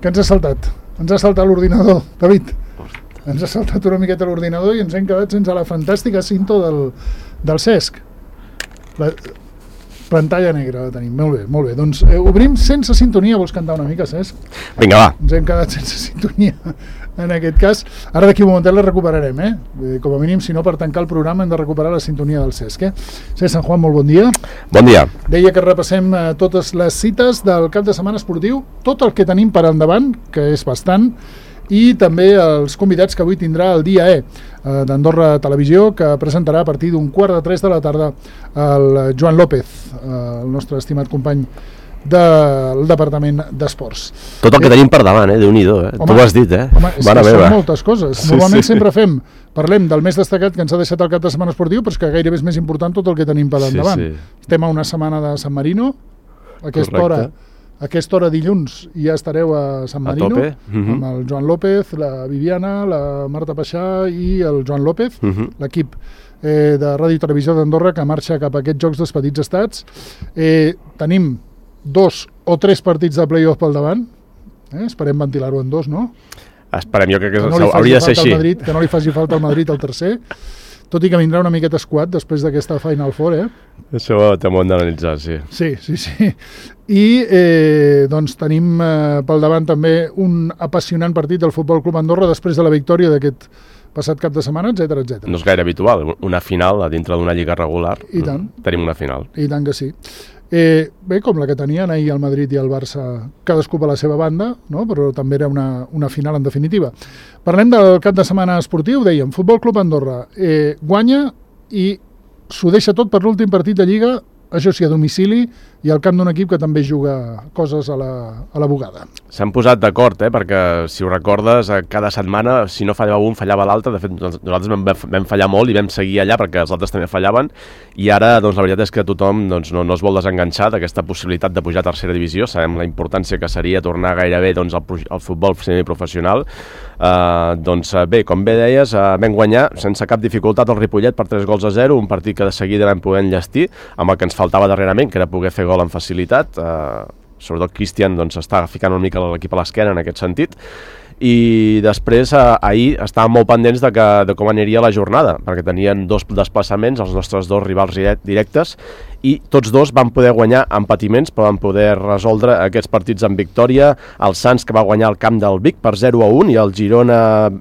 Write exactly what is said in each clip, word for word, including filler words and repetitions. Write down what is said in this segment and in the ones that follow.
Que ens ha saltat? Ens ha saltat l'ordinador, David. Ens ha saltat una miqueta l'ordinador i ens hem quedat sense la fantàstica cinta del, del Cesc. La pantalla negra la tenim, molt bé, molt bé. Doncs eh, obrim sense sintonia, vols cantar una mica, Cesc? Vinga, va. Ens hem quedat sense sintonia en aquest cas. Ara d'aquí un momentet la recuperarem, eh? Com a mínim, si no, per tancar el programa hem de recuperar la sintonia del Cesc, eh? Cesc Sant Juan, molt bon dia. Bon dia. Deia que repassem eh, totes les cites del cap de setmana esportiu, tot el que tenim per endavant, que és bastant, i també els convidats que avui tindrà el dia E eh, d'Andorra Televisió, que presentarà a partir d'un quart de tres de la tarda el Joan López, eh, el nostre estimat company del Departament d'Esports. Tot el que eh, tenim per davant, eh? Déu-n'hi-do, eh? Home, tu ho has dit, eh? Home, és Mare que meva. són moltes coses. Sí, Normalment sí. sempre fem, parlem del més destacat que ens ha deixat el cap de setmana esportiu, però és que gairebé és més important tot el que tenim per endavant. Sí, sí. Estem a una setmana de San Marino, a aquesta Correcte. hora a aquesta hora dilluns ja estareu a San Marino, a tope. Uh-huh. amb el Joan López, la Viviana, la Marta Paixà i el Joan López, uh-huh. l'equip eh, de Ràdio i Televisió d'Andorra que marxa cap a aquests Jocs dels Petits Estats. Eh, tenim dos o tres partits de play-off pel davant, eh? Esperem ventilar-ho en dos, no? Esperem, jo crec que, que no hauria de ser així. Madrid, que no li faci falta al Madrid el tercer, tot i que vindrà una miqueta esquat després d'aquesta Final Four, eh? Això t'ho hem d'analitzar, sí. Sí, sí, sí. I eh, doncs tenim eh, pel davant també un apassionant partit del Futbol Club Andorra després de la victòria d'aquest passat cap de setmana, etcètera, etcètera. No és gaire habitual, una final a dintre d'una lliga regular. I tant. Tenim una final. I tant que sí. Eh, bé, com la que tenien ahir el Madrid i el Barça, cadascú per la seva banda, no? Però també era una, una final en definitiva. Parlem del cap de setmana esportiu, dèiem, Futbol Club Andorra eh, guanya i s'ho deixa tot per l'últim partit de Lliga, això sí, a domicili, i al camp d'un equip que també juga coses a la, a la bugada. S'han posat d'acord, eh? Perquè, si ho recordes, cada setmana, si no fallava un, fallava l'altre. De fet, nosaltres vam, vam fallar molt i vam seguir allà perquè els altres també fallaven. I ara, doncs, la veritat és que tothom doncs, no, no es vol desenganxar d'aquesta possibilitat de pujar a tercera divisió. Sabem la importància que seria tornar gairebé doncs, al, al futbol semiprofessional. Uh, doncs bé, com bé deies, uh, vam guanyar sense cap dificultat el Ripollet per tres gols a zero, un partit que de seguida vam poder enllestir amb el que ens faltava darrerament, que era poder fer gol amb facilitat. Uh, sobretot Cristian doncs, està ficant una mica l'equip a l'esquena en aquest sentit. I després, eh, ahir estàvem molt pendents de, que, de com aniria la jornada, perquè tenien dos desplaçaments, els nostres dos rivals directes, i tots dos van poder guanyar amb patiments, però van poder resoldre aquests partits amb victòria. El Sants, que va guanyar al camp del Vic per zero a un, i el Girona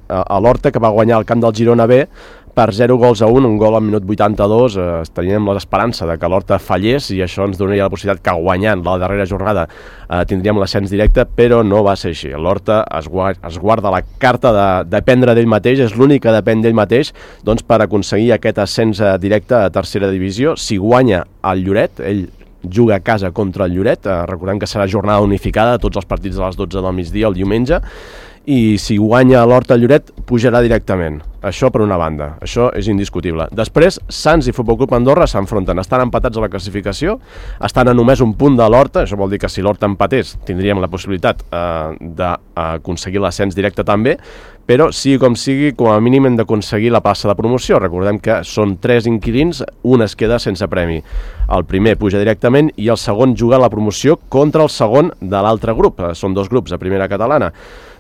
a l'Horta, que va guanyar al camp del Girona B per zero gols a un, un gol al minut vuitanta-dos. Eh, teníem l'esperança de que l'Horta fallés i això ens donaria la possibilitat que guanyant la darrera jornada eh, tindríem l'ascens directe, però no va ser així. L'Horta es, guarda, es guarda la carta de dependre d'ell mateix, és l'únic que depèn d'ell mateix doncs, per aconseguir aquest ascens directe a tercera divisió. Si guanya el Lloret, ell juga a casa contra el Lloret, eh, recordem que serà jornada unificada, tots els partits de les dotze del migdia el diumenge, i si guanya l'Horta Lloret pujarà directament. Això per una banda, això és indiscutible. Després, Sants i Futbol Club Andorra s'enfronten, estan empatats a la classificació, estan a només un punt de l'Horta, això vol dir que si l'Horta empatés tindríem la possibilitat eh, d'aconseguir l'ascens directe també, però sigui com sigui, com a mínim hem d'aconseguir la plaça de promoció. Recordem que són tres inquilins, un es queda sense premi. El primer puja directament i el segon juga a la promoció contra el segon de l'altre grup. Són dos grups a primera catalana.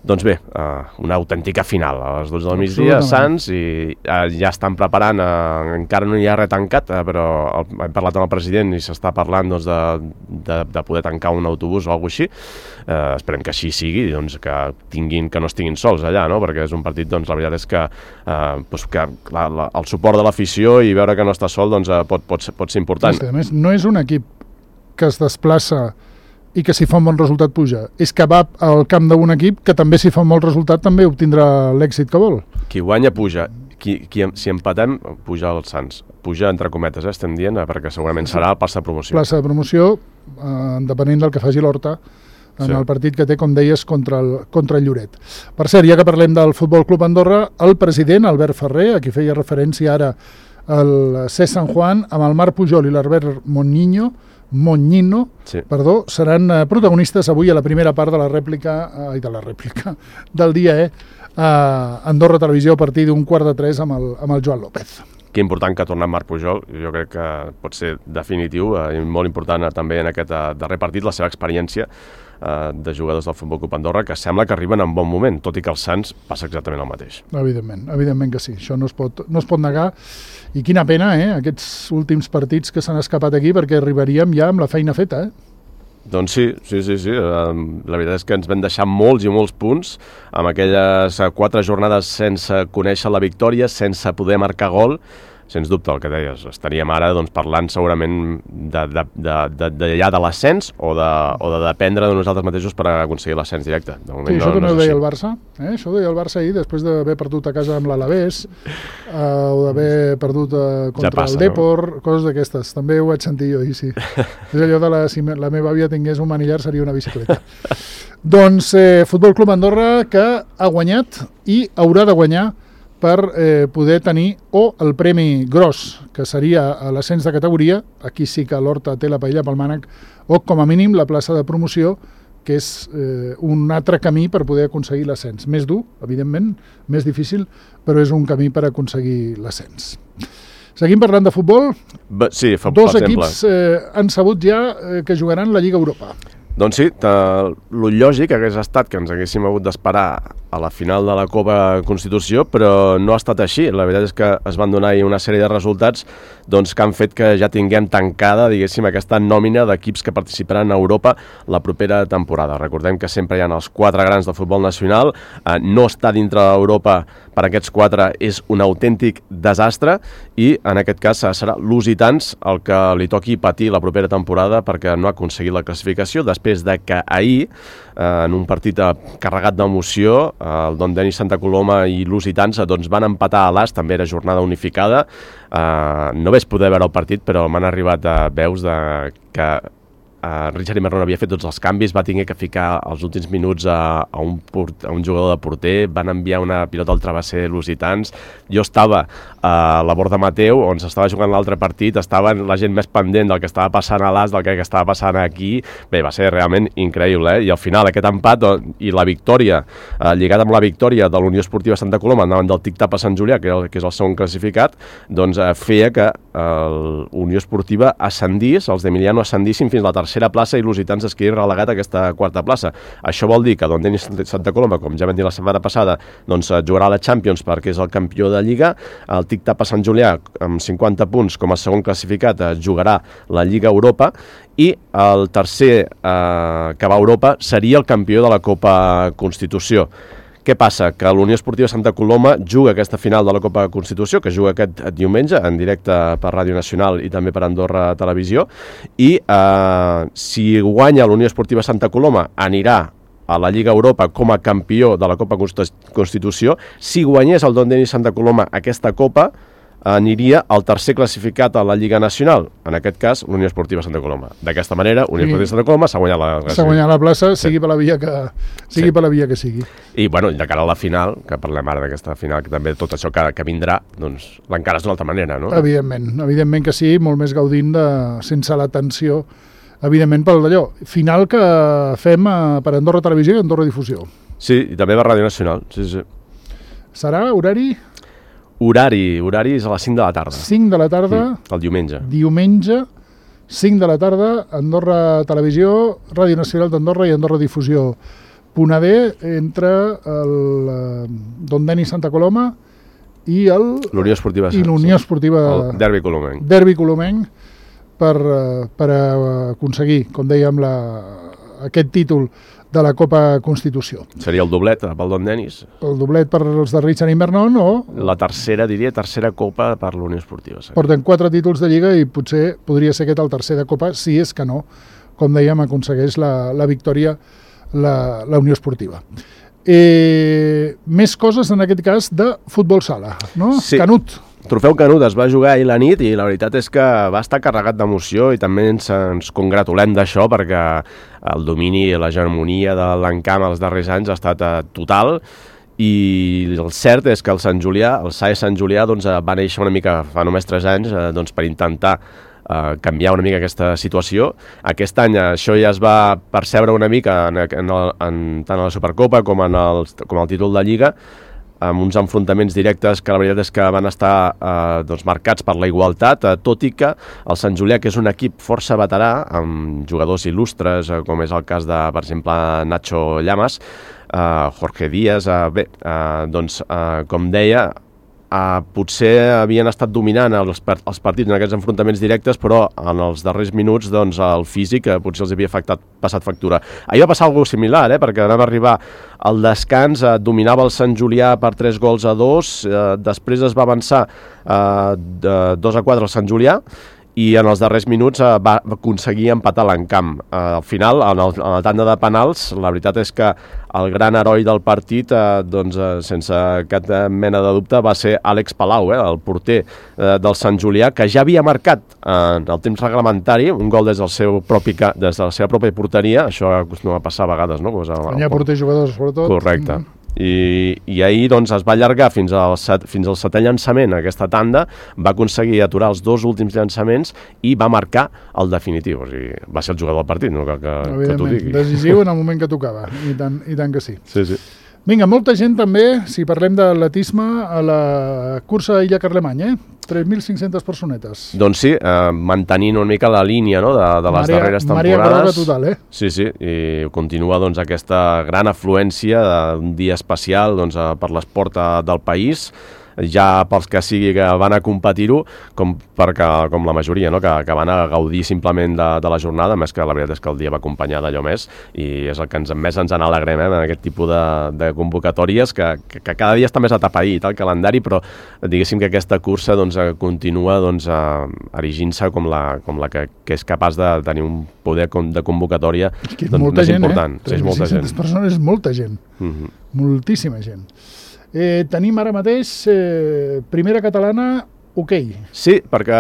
Doncs bé, uh, una autèntica final a les dotze del migdia, Sants, i uh, ja estan preparant, uh, encara no hi ha res tancat, uh, però el, hem parlat amb el president i s'està parlant doncs, de, de, de poder tancar un autobús o alguna cosa així. Uh, esperem que així sigui, doncs, que, tinguin, que no estiguin sols allà, no? Perquè és un partit, doncs, la veritat és que, uh, doncs, que la, la, el suport de l'afició i veure que no està sol doncs, uh, pot, pot, pot ser important. És que, a més, no és un equip que es desplaça i que si fa un bon resultat puja. És que va al camp d'un equip que també si fa un bon resultat també obtindrà l'èxit que vol. Qui guanya puja. Qui, qui, si empatem, puja el Sants. Puja entre cometes, eh, estem dient, perquè segurament serà el plaça de promoció. Plaça de promoció, eh, depenent del que faci l'Horta en sí. el partit que té, com deies, contra el, contra el Lloret. Per cert, ja que parlem del Futbol Club Andorra, el president, Albert Ferrer, a qui feia referència ara el Cesc Sant Juan, amb el Marc Pujol i l'Albert Monniño, Moñino, sí. perdó, seran eh, protagonistes avui a la primera part de la rèplica, eh, de la rèplica del dia E, a Andorra Televisió a partir d'un quart de tres amb el, amb el Joan López. Que important que torna Marc Pujol, jo crec que pot ser definitiu eh, i molt important eh, també en aquest eh, darrer partit, la seva experiència eh, de jugadors del Futbol Club Andorra que sembla que arriben en bon moment, tot i que els Sants passa exactament el mateix. Evidentment, evidentment que sí, això no es pot, no es pot negar, i quina pena, eh, aquests últims partits que s'han escapat aquí, perquè arribaríem ja amb la feina feta, eh? Doncs sí, sí, sí, sí. La veritat és que ens vam deixar molts i molts punts amb aquelles quatre jornades sense conèixer la victòria, sense poder marcar gol. Sens dubte, el que deies, estaríem ara doncs, parlant segurament de, de, de, de, de, ja de l'ascens o de, o de dependre de nosaltres mateixos per aconseguir l'ascens directe. De moment, sí, això no, també no ho deia així. el Barça, eh? Això ho deia el Barça ahir, després d'haver perdut a casa amb l'Alavés, eh, o d'haver perdut eh, contra ja passa, el Depor, no? Coses d'aquestes. També ho vaig sentir jo ahir, sí. És allò de la, si la meva àvia tingués un manillar seria una bicicleta. Doncs eh, Futbol Club Andorra, que ha guanyat i haurà de guanyar per eh, poder tenir o el premi gros, que seria l'ascens de categoria, aquí sí que l'Horta té la paella pel mànec, o com a mínim la plaça de promoció, que és eh, un altre camí per poder aconseguir l'ascens. Més dur, evidentment, més difícil, però és un camí per aconseguir l'ascens. Seguim parlant de futbol. Ba, sí, fa, Dos equips eh, han sabut ja eh, que jugaran la Lliga Europa. Doncs sí, el lògic hagués estat que ens haguéssim hagut d'esperar a la final de la Copa Constitució, però no ha estat així. La veritat és que es van donar una sèrie de resultats doncs, que han fet que ja tinguem tancada, diguéssim, aquesta nòmina d'equips que participaran a Europa la propera temporada. Recordem que sempre hi ha els quatre grans del futbol nacional, eh, no estar dintre d'Europa per aquests quatre és un autèntic desastre i en aquest cas serà l'Lusitans el que li toqui patir la propera temporada perquè no ha aconseguit la classificació després de que ahir, eh, en un partit carregat d'emoció, el Don Denis Santa Coloma i Lusitans doncs, van empatar a l'As, també era jornada unificada. Eh, no vaig poder veure el partit, però m'han arribat a veus de que Uh, Richard Imerron havia fet tots els canvis, va tenir que ficar els últims minuts a, a, un, port, a un jugador de porter, van enviar una pilota al travesser lusitans. Jo estava a la Borda Mateu, on s'estava jugant l'altre partit, estava la gent més pendent del que estava passant a l'As, del que estava passant aquí. Bé, va ser realment increïble, eh? I al final aquest empat i la victòria, uh, lligat amb la victòria de l'Unió Esportiva Santa Coloma davant del Tic-Tap a Sant Julià, que, el, que és el segon classificat, doncs uh, feia que uh, l'Unió Esportiva ascendís, els d'Emiliano ascendissin fins a la tercera tercera plaça i Lusitans es quedi relegat a aquesta quarta plaça. Això vol dir que Don Denis Santa Coloma, com ja vam dir la setmana passada, doncs jugarà a la Champions perquè és el campió de Lliga. El Tic-Tap a Sant Julià, amb cinquanta punts com a segon classificat, jugarà la Lliga Europa i el tercer eh, que va a Europa seria el campió de la Copa Constitució. Què passa? Que l'Unió Esportiva Santa Coloma juga aquesta final de la Copa Constitució, que juga aquest diumenge en directe per Ràdio Nacional i també per Andorra Televisió, i eh, si guanya l'Unió Esportiva Santa Coloma anirà a la Lliga Europa com a campió de la Copa Constitució. Si guanyés el Don Denis Santa Coloma aquesta Copa, aniria al tercer classificat a la Lliga Nacional, en aquest cas l'Unió Esportiva Santa Coloma. D'aquesta manera, Unió Esportiva Santa Coloma s'ha guanyat la classificació. S'ha guanyat la plaça, sigui sí. per la via que sigui sí. per la via que sigui. I bueno, de cara a la final, que parlem ara d'aquesta final, que també tot això que, que vindrà, doncs l'encares d'una altra manera, no? Evidentment, evidentment que sí, molt més gaudint de, sense la tensió, evidentment pel d'allò. Final que fem per Andorra Televisió i Andorra Difusió. Sí, i també per Ràdio Nacional, sí, sí. Serà horari? Horari, horari és a les cinc de la tarda. cinc de la tarda. Mm, el diumenge. Diumenge, cinc de la tarda, Andorra Televisió, Ràdio Nacional d'Andorra i Andorra Difusió. Punt A D entre el eh, Don Denis Santa Coloma i el l'Unió Esportiva, i l'Unió Esportiva el Derbi Colomenc. Derbi Colomenc per, per aconseguir, com dèiem, la, aquest títol de la Copa Constitució. Seria el doblet pel Don Denis. El doblet per els de Richard Imernon o... La tercera, diria, tercera Copa per l'Unió Esportiva. Sí. Porten quatre títols de Lliga i potser podria ser aquest el tercer de Copa, si és que no, com dèiem, aconsegueix la, la victòria la, la Unió Esportiva. Eh, més coses, en aquest cas, de futbol sala, no? Sí. Canut. Trofeu Canut es va jugar ahir la nit i la veritat és que va estar carregat d'emoció i també ens, ens congratulem d'això perquè el domini i l'hegemonia de l'encamp els darrers anys ha estat uh, total i el cert és que el Sant Julià, el S A E Sant Julià doncs, va néixer una mica fa només tres anys uh, doncs, per intentar uh, canviar una mica aquesta situació. Aquest any això ja es va percebre una mica en, en el, en, tant a la Supercopa com en el, com el títol de Lliga. amb uns enfrontaments directes que la veritat és que van estar eh, doncs marcats per la igualtat, eh, tot i que el Sant Julià, que és un equip força veterà, amb jugadors il·lustres, eh, com és el cas de, per exemple, Nacho Llamas, eh, Jorge Díaz, eh, bé, eh, doncs, eh, com deia, Uh, potser havien estat dominant els, els partits en aquests enfrontaments directes, però en els darrers minuts doncs, el físic uh, potser els havia afectat, passat factura. Ahir va passar alguna cosa similar, eh, perquè vam arribar al descans, uh, dominava el Sant Julià per tres gols a dos, uh, després es va avançar uh, de dos a quatre al Sant Julià, i en els darrers minuts uh, va aconseguir empatar l'encamp. Uh, al final, en el, en el tanda de penals, la veritat és que el gran heroi del partit, uh, doncs, uh, sense cap mena de dubte, va ser Àlex Palau, eh, el porter uh, del Sant Julià, que ja havia marcat uh, en el temps reglamentari un gol des, del seu propi, des de la seva pròpia porteria. Això acostuma a passar a vegades, no? Pues, Quan hi ha porter jugadors, sobretot. Correcte. Mm-hmm. I, i ahir doncs, es va allargar fins al, set, fins al setè llançament aquesta tanda, va aconseguir aturar els dos últims llançaments i va marcar el definitiu. O sigui, va ser el jugador del partit, no cal que, que t'ho digui. Decisiu en el moment que tocava, i tant, i tant que sí. Sí, sí. Vinga, molta gent també, si parlem d'atletisme, a la cursa Illa Carlemany, eh? tres mil cinc-centes personetes. Doncs sí, eh, mantenint una mica la línia, no?, de, de les Maria, darreres temporades. Maria Groga total, eh? Sí, sí, i continua doncs, aquesta gran afluència d'un dia especial doncs, per l'esport del país, ja pels que sigui que van a competir-ho, com, perquè, com la majoria, no?, que, que van a gaudir simplement de, de la jornada, més que la veritat és que el dia va acompanyar d'allò més, i és el que ens, més ens n'alegrem, eh, en aquest tipus de, de convocatòries, que, que, que cada dia està més atapeït el calendari, però diguéssim que aquesta cursa doncs, continua doncs, erigint-se com la, com la que, que és capaç de tenir un poder de convocatòria és doncs, molta més gent, important. Eh? tres mil cinc-centes persones és molta gent, mm-hmm. moltíssima gent. Eh, tenim ara mateix eh, primera catalana, hoquei. Sí, perquè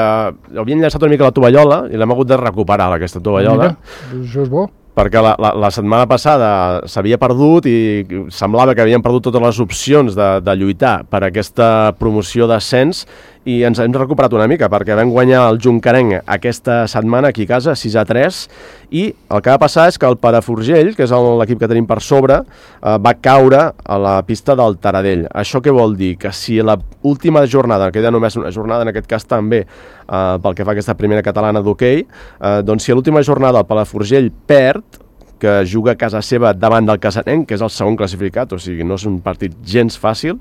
havien llançat una mica la tovallola i l'hem hagut de recuperar, aquesta tovallola. Mira, això és bo. Perquè la, la, la setmana passada s'havia perdut i semblava que havien perdut totes les opcions de, de lluitar per aquesta promoció d'ascens, i ens hem recuperat una mica perquè vam guanyar el Juncarenc aquesta setmana aquí a casa, sis a tres, i el que va passar és que el Paraforgell, que és l'equip que tenim per sobre, eh, va caure a la pista del Taradell. Això què vol dir? Que si l'última jornada, queda només una jornada en aquest cas també, eh, pel que fa a aquesta primera catalana d'hoquei, eh, doncs si a l'última jornada el Paraforgell perd, que juga a casa seva davant del Casanenc, que és el segon classificat, o sigui, no és un partit gens fàcil.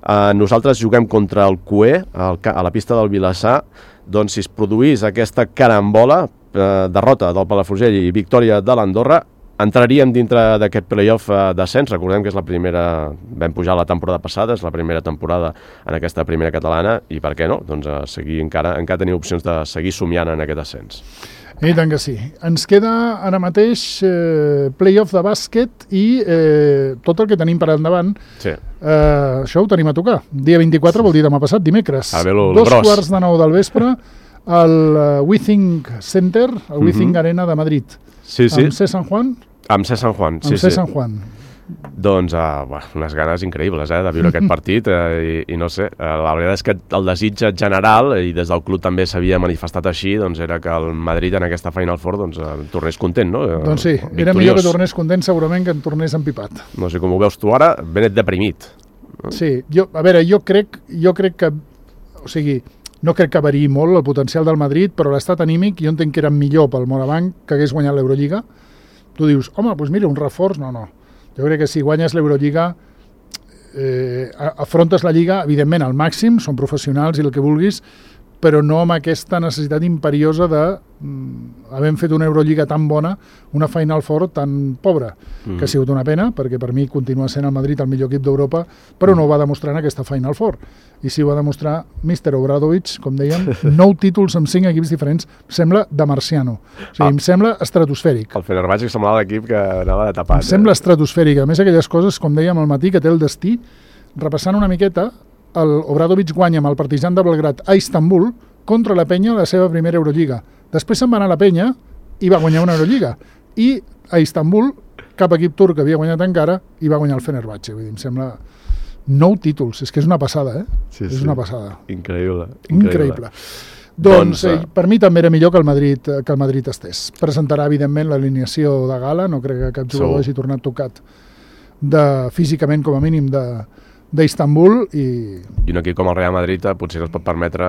Uh, nosaltres juguem contra el Cué, al, a la pista del Vilassar. Doncs si es produís aquesta carambola, uh, derrota del Palafrugell i victòria de l'Andorra, entraríem dintre d'aquest playoff uh, d'ascens. Recordem que és la primera, vam pujar la temporada passada, és la primera temporada en aquesta primera catalana, i per què no? Doncs uh, seguir encara, encara tenir opcions de seguir somiant en aquest ascens. I tant que sí. Ens queda ara mateix eh, playoff de bàsquet i eh, tot el que tenim per endavant. Sí. Eh, això ho tenim a tocar. Dia vint-i-quatre vol dir demà passat, dimecres. A ver, lo, lo Dos gros. quarts de nou del vespre al uh, WeThink Center, al mm-hmm. WeThink Arena de Madrid. Sí, sí. Amb C. San Juan? Amb C. San Juan, sí, amb C. sí. San Juan. Doncs uh, bueno, unes ganes increïbles eh, de viure aquest partit uh, i, i no sé, uh, la veritat és que el desig general, i des del club també s'havia manifestat així, doncs era que el Madrid en aquesta Final Four doncs, uh, tornés content, no? Uh, doncs sí, victoriós. Era millor que tornés content segurament que en tornés empipat. No sé com ho veus tu ara, ben et deprimit. Sí, jo, a veure, jo crec, jo crec que, o sigui, no crec que variï molt el potencial del Madrid, però l'estat anímic jo entenc que era millor pel Morabanc que hagués guanyat l'Eurolliga. Tu dius, home, doncs mira, un reforç, no, no. Jo crec que si guanyes l'Eurolliga, eh, afrontes la Lliga, evidentment, al màxim, són professionals i el que vulguis, però no amb aquesta necessitat imperiosa de, mm, havent fet una Eurolliga tan bona, una Final Four tan pobra, mm. que ha sigut una pena, perquè per mi continua sent el Madrid el millor equip d'Europa, però no ho va demostrar en aquesta Final Four. I si ho va demostrar míster Obradovic, com dèiem, nou títols amb cinc equips diferents, sembla de marciano. O sigui, ah. em sembla estratosfèric. El Fenerbahçe semblava l'equip que anava de tapat. Em sembla eh? estratosfèric. A més, aquelles coses, com dèiem al matí, que té el destí, repassant una miqueta, el Obradovic guanya amb el Partizan de Belgrat a Istanbul contra la Penya la seva primera Eurolliga. Després se'n va anar a la Penya i va guanyar una Eurolliga. I a Istanbul, cap equip turc havia guanyat encara, i va guanyar el Fenerbahçe. Vull dir, em sembla nou títols. És que és una passada, eh? Sí, és sí. una passada. Increïble. Increïble. Increïble. Doncs, eh, per mi també era millor que el Madrid, que el Madrid estés. Presentarà, evidentment, l'alineació de gala. No crec que cap jugador Segur. hagi tornat tocat de, físicament, com a mínim, de, d'Istanbul i... I un equip com el Real Madrid potser no es pot permetre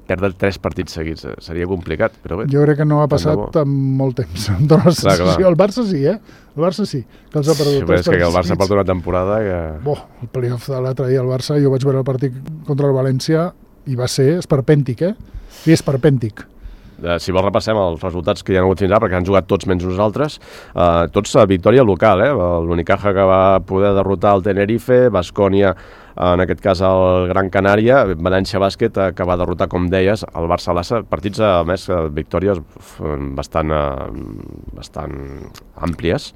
perdre tres partits seguits. Seria complicat, però bé. Jo crec que no ha passat en molt temps. Clar, clar. El Barça sí, eh? El Barça sí, que els ha perdut sí, tres partits. És que el Barça porta una temporada que... Boh, el playoff de l'altre dia, el Barça, jo vaig veure el partit contra el València i va ser esperpèntic, eh? I esperpèntic. Uh, si vols repassem els resultats que hi ha hagut fins ara, perquè han jugat tots menys nosaltres, uh, tots a victòria local, eh? L'Unicaja que va poder derrotar el Tenerife, Baskonia, en aquest cas el Gran Canària, València Bàsquet, eh, que va derrotar, com deies, el Barça-Lassa, partits a més victòries bastant, uh, bastant àmplies.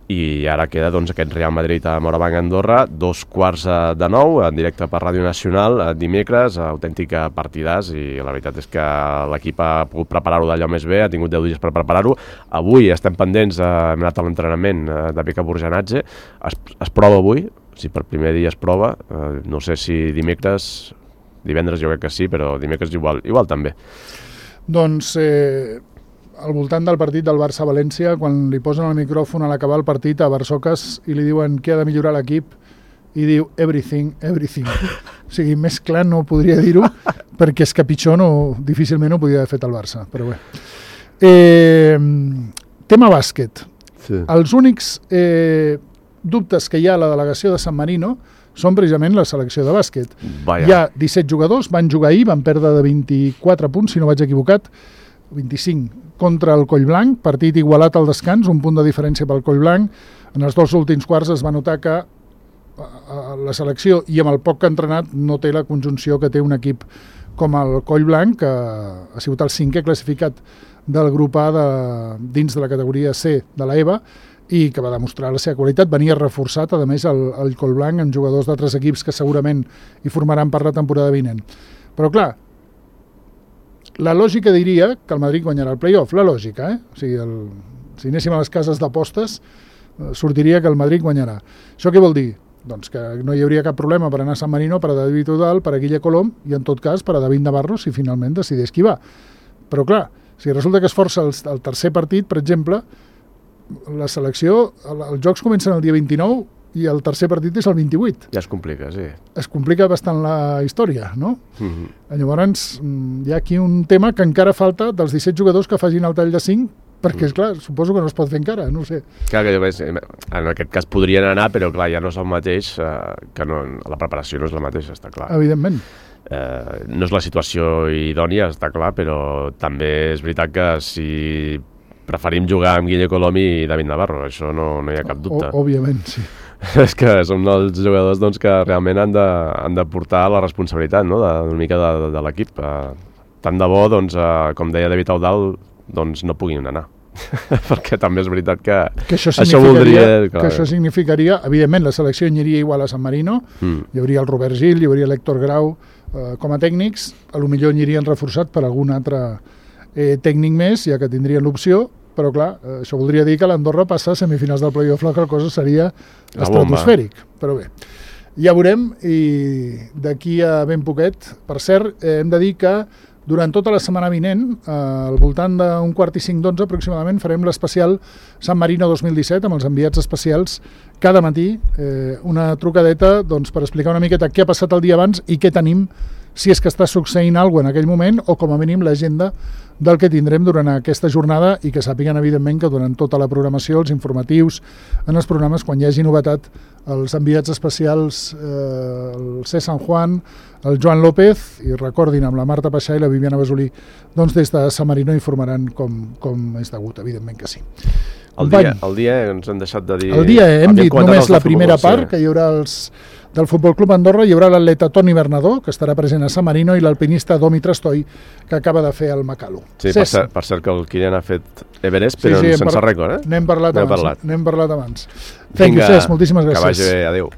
I ara queda doncs, aquest Real Madrid a Morabanc-Andorra, dos quarts de nou, en directe per Ràdio Nacional, dimecres, autèntica partidàs, i la veritat és que l'equip ha pogut preparar-ho d'allò més bé, ha tingut deu dies per preparar-ho. Avui estem pendents, eh, hem anat a l'entrenament de Pica Burjanatge, es, es prova avui, si per primer dia es prova, eh, no sé si dimecres, divendres jo crec que sí, però dimecres igual, igual també. Doncs... Eh... al voltant del partit del Barça-València, quan li posen el micròfon a l'acabar el partit a Barsocas i li diuen què ha de millorar l'equip, i diu everything, everything. O sigui, més clar no podria dir-ho, perquè és que pitjor no, difícilment ho podia haver fet el Barça, però bé. Eh, tema bàsquet. Sí. Els únics eh, dubtes que hi ha a la delegació de San Marino són precisament la selecció de bàsquet. Vaya. Hi ha disset jugadors, van jugar ahir, van perdre de vint-i-quatre punts, si no vaig equivocat, vint-i-cinc contra el Collblanc, partit igualat al descans, un punt de diferència pel Collblanc. En els dos últims quarts es va notar que la selecció, i amb el poc que ha entrenat, no té la conjunció que té un equip com el Collblanc, que ha sigut el cinquè classificat del grup A de, dins de la categoria C de l'E V A, i que va demostrar la seva qualitat. Venia reforçat, a més, el, el Collblanc amb jugadors d'altres equips que segurament hi formaran per la temporada vinent. Però clar, la lògica diria que el Madrid guanyarà el play-off, la lògica, eh? O sigui, el, si anéssim a les cases d'apostes, eh, sortiria que el Madrid guanyarà. Això què vol dir? Doncs que no hi hauria cap problema per anar a San Marino, per a David Udal, per a Guille Colom, i en tot cas per a David Navarro, si finalment decideix qui va. Però clar, si resulta que es força el, el tercer partit, per exemple, la selecció, el, els jocs comencen el dia vint-i-nou, i el tercer partit és el vint-i-vuit. Ja es complica, sí. Es complica bastant la història, no? Mm-hmm. Llavors, hi ha aquí un tema que encara falta dels disset jugadors que facin el tall de cinc, perquè, mm. esclar, suposo que no es pot fer encara, no ho sé. Clar, que en aquest cas podrien anar, però clar, ja no és el mateix, eh, que no, la preparació no és la mateixa, està clar. Evidentment. Eh, no és la situació idònia, està clar, però també és veritat que si preferim jugar amb Guille Colom i David Navarro, això no, no hi ha cap dubte. O, òbviament, sí. És que són els jugadors doncs, que realment han de, han de portar la responsabilitat, no? de, una mica de, de, de l'equip. Uh, tant de bo, doncs, uh, com deia David Audal, doncs, no puguin anar. Perquè també és veritat que, que això, això voldria... Que això significaria, evidentment, la selecció aniria igual a San Marino, mm. hi hauria el Robert Gil, hi hauria l'Héctor Grau uh, com a tècnics, a lo millor anirien reforçat per algun altre eh, tècnic més, ja que tindrien l'opció, però clar, això voldria dir que l'Andorra passa a semifinals del play-off, la qual cosa seria estratosfèric. Però bé, ja veurem, i d'aquí a ben poquet, per cert, eh, hem de dir que durant tota la setmana vinent, eh, al voltant d'un quart i cinc d'onze aproximadament, farem l'especial San Marino dos mil disset amb els enviats especials cada matí, eh, una trucadeta doncs, per explicar una miqueta què ha passat el dia abans i què tenim, si és que està succeint alguna cosa en aquell moment, o com a mínim l'agenda del que tindrem durant aquesta jornada, i que sàpiguen, evidentment, que durant tota la programació, els informatius, en els programes, quan hi hagi novetat, els enviats especials, eh, el C. San Juan, el Joan López, i recordin, amb la Marta Paixà i la Viviana Basolí, doncs des de San Marino informaran com, com és degut, evidentment que sí. El dia, el dia ens hem deixat de dir... El dia hem dit només la primera part, que hi haurà els... del Futbol Club Andorra, hi haurà l'atleta Toni Bernadó, que estarà present a San Marino, i l'alpinista Domi Trastoi, que acaba de fer el Makalu. Sí, per cert, per cert que el Kilian ha fet Everest, però sí, sí, sense par... rècord, eh? N'hem parlat, parlat. N'hem parlat abans. Thank you, Cesc, moltíssimes gràcies. Que vagi bé, adéu.